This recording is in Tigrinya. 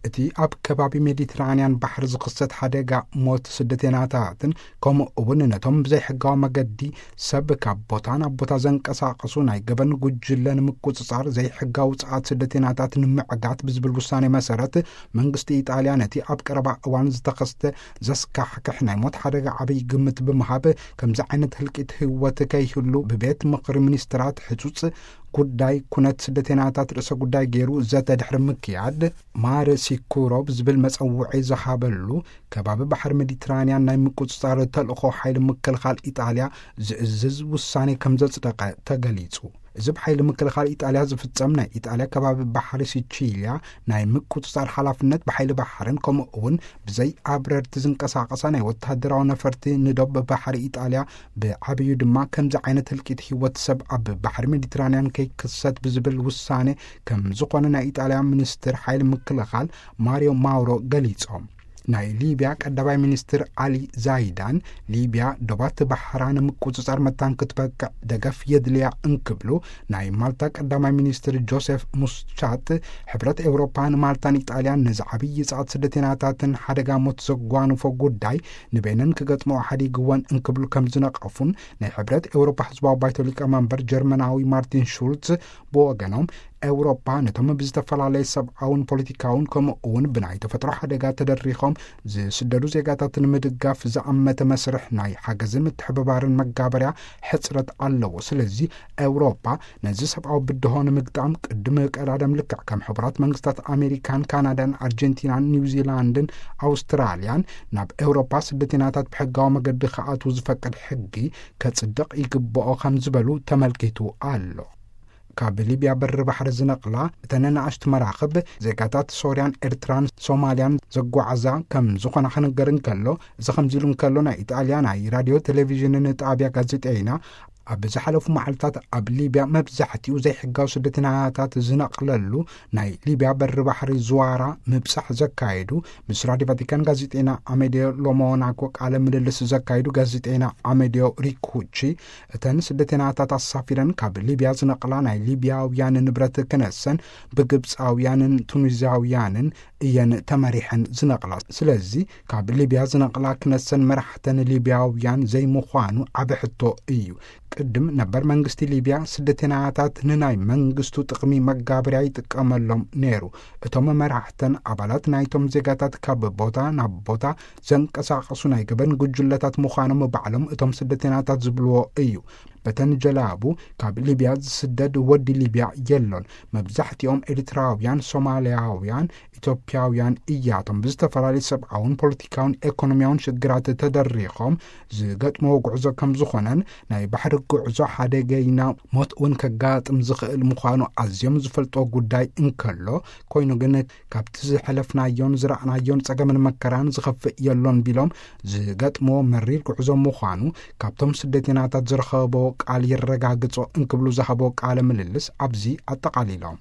እቲ ኣብ ከባቢ ሜዲትራንያን ባሕሪ ዝኽሰት ሓደጋ ሞት ስደተናታትን፣ ከምኡ እውን ነቶም ብዘይሕጋዊ መገዲ ሰብ ካብ ቦታ ናብ ቦታ ዘንቀሳቐሱ ናይ ገበን ጉጅለ ንምቁጽጻር ዘይሕጋዊ ውጽኣት ስደተናታት ንምዕጋት ብዝብል ውሳኔ መሰረት፣ መንግስቲ ኢጣልያ ነቲ ኣብ ቀረባ እዋን ዝተኸስተ ዘስካሕክሕ ናይ ሞት ሓደጋ ዓብይ ግምት ብምሃብ፣ ከምዚ ዓይነት ህልቂት ህይወት ከይህሉ ብቤት ምኽሪ ሚኒስትራት ሕጹጽ ጉዳይ ኩነት ስደተናታት ርእሰ ጉዳይ ገይሩ ዘተ ድሕሪ ምክያድ፣ ማር ሲኩሮ ብዝብል መጸውዒ ዝሃበሉ ከባቢ ባሕሪ ሜዲትራንያን ናይ ምቁጽጻር ተልእኾ ሓይሊ ምክልኻል ኢጣልያ ዝእዝዝ ውሳኔ ከም ዘጽደቐ ተገሊጹ። እዚ ብሓይሊ ምክልኻል ኢጣልያ ዝፍጸም ናይ ኢጣልያ ከባቢ ባሕሪ ሲቺልያ ናይ ምቁጽጻር ሓላፍነት ብሓይሊ ባሕርን ከምኡ እውን ብዘይ ኣብረርቲ ዝንቀሳቐሳ ናይ ወተሃደራዊ ነፈርቲ ንዶብ ባሕሪ ኢጣልያ፣ ብዓብዩ ድማ ከምዚ ዓይነት ህልቂት ህይወት ሰብ ኣብ ባሕሪ ሜዲትራንያን ከይክሰት ብዝብል ውሳኔ ከም ዝኾነ ናይ ኢጣልያ ሚኒስትር ሓይሊ ምክልኻል ማሪዮ ማውሮ ገሊጾም። ናይ ሊብያ ቀዳማይ ሚኒስትር ኣሊ ዛይዳን፣ ሊብያ ዶባት ባሕራ ንምቁጽጻር መታን ክትበቅዕ ደገፍ የድልያ እንክብሉ፣ ናይ ማልታ ቀዳማይ ሚኒስትር ጆሴፍ ሙስቻት፣ ሕብረት ኤውሮፓ ንማልታን ኢጣልያን ነዚ ዓብዪ ጻዕት ስደተናታትን ሓደጋ ሞት ዘጓንፎ ጉዳይ ንበይነን ክገጥመኦ ሓዲግወን እንክብሉ ከም ዝነቐፉን፣ ናይ ሕብረት ኤውሮፓ ህዝባዊ ባይቶ ሊቀመንበር ጀርመናዊ ማርቲን ሹልዝ ብወገኖም፣ ኤውሮፓ ነቶም ብዝተፈላለየ ሰብኣውን ፖለቲካውን ከምኡ እውን ብናይ ተፈጥሮ ሓደጋ ተደሪኾም ዝስደዱ ዜጋታት ንምድጋፍ ዝኣመተ መስርሕ ናይ ሓገዝን ምትሕብባርን መጋበርያ ሕጽረት ኣለዎ። ስለዚ ኤውሮፓ ነዚ ሰብኣዊ ብድሆ ንምግጣም ቅድሚ ቀዳደም ልክዕ ከም ሕቡራት መንግስታት ኣሜሪካን ካናዳን ኣርጀንቲናን ኒውዚላንድን ኣውስትራልያን ናብ ኤውሮፓ ስደተናታት ብሕጋዊ መገዲ ክኣትዉ ዝፈቅድ ሕጊ ከጽድቕ ይግብኦ ከም ዝበሉ ተመልኪቱ ኣሎ። ካብ ሊብያ በሪ ባሕሪ ዝነቕላ እተን ንኣሽቱ መራኽብ ዜጋታት ሶርያን ኤርትራን ሶማልያን ዘጓዓዛ ከም ዝኾና ክንገር እንከሎ፣ እዚ ከምዚ ኢሉ እንከሎ፣ ናይ ኢጣልያ ናይ ራድዮ ቴሌቪዥንን ጣብያ ጋዜጠይና ኣብ ዝሓለፉ መዓልታት ኣብ ሊብያ መብዛሕትኡ ዘይሕጋዊ ስደተኛታት ዝነቕለሉ ናይ ሊብያ በሪ ባሕሪ ዝዋራ ምብጻሕ ዘካየዱ፣ ምስ ራድዮ ቫቲካን ጋዜጠይና ኣሜልዮ ሎሞናኮ ቃለ ምልልስ ዘካየዱ ጋዜጠይና ኣሜልዮ ሪኩቺ፣ እተን ስደተኛታት ኣሳፊረን ካብ ሊብያ ዝነቕላ ናይ ሊብያውያን ንብረት ክነሰን ብግብጻውያንን ቱኒዝያውያንን እየን ተመሪሐን ዝነቕላ። ስለዚ ካብ ሊብያ ዝነቕላ ክነሰን መራሕተን ሊብያውያን ዘይምዃኑ ዓቢ ሕቶ እዩ። ቅድም ነበር መንግስቲ ሊብያ ስደተኛታት ንናይ መንግስቱ ጥቕሚ መጋበርያ ይጥቀመሎም ነይሩ። እቶም መራሕተን ኣባላት ናይቶም ዜጋታት ካብ ቦታ ናብ ቦታ ዘንቀሳቐሱ ናይ ገበን ጉጅለታት ምዃኖም ባዕሎም እቶም ስደተኛታት ዝብልዎ እዩ። በተን ጀላቡ ካብ ሊብያ ዝስደድ ወዲ ሊብያ የሎን። መብዛሕትኦም ኤርትራውያን፣ ሶማልያውያን፣ ኢትዮጵያውያን እያቶም ብዝተፈላለዩ ሰብኣውን ፖለቲካውን ኤኮኖሚያውን ሽግራት ተደሪኾም ዝገጥምዎ ጉዕዞ ከም ዝኾነን፣ ናይ ባሕሪ ጉዕዞ ሓደገይና ሞት እውን ከጋጥም ዝኽእል ምዃኑ ኣዝዮም ዝፈልጦ ጉዳይ እንከሎ፣ ኮይኑ ግን ካብቲ ዝሐለፍናዮን ዝረኣናዮን ጸገምን መከራን ዝኸፍእ የሎን ቢሎም፣ ዝገጥምዎ መሪር ጉዕዞ ምዃኑ ካብቶም ስደተኛታት ዝረኸቦ ቃል የረጋግጾ እንክብሉ ዝሃቦ ቃለ ምልልስ ኣብዚ ኣጠቓሊሎም።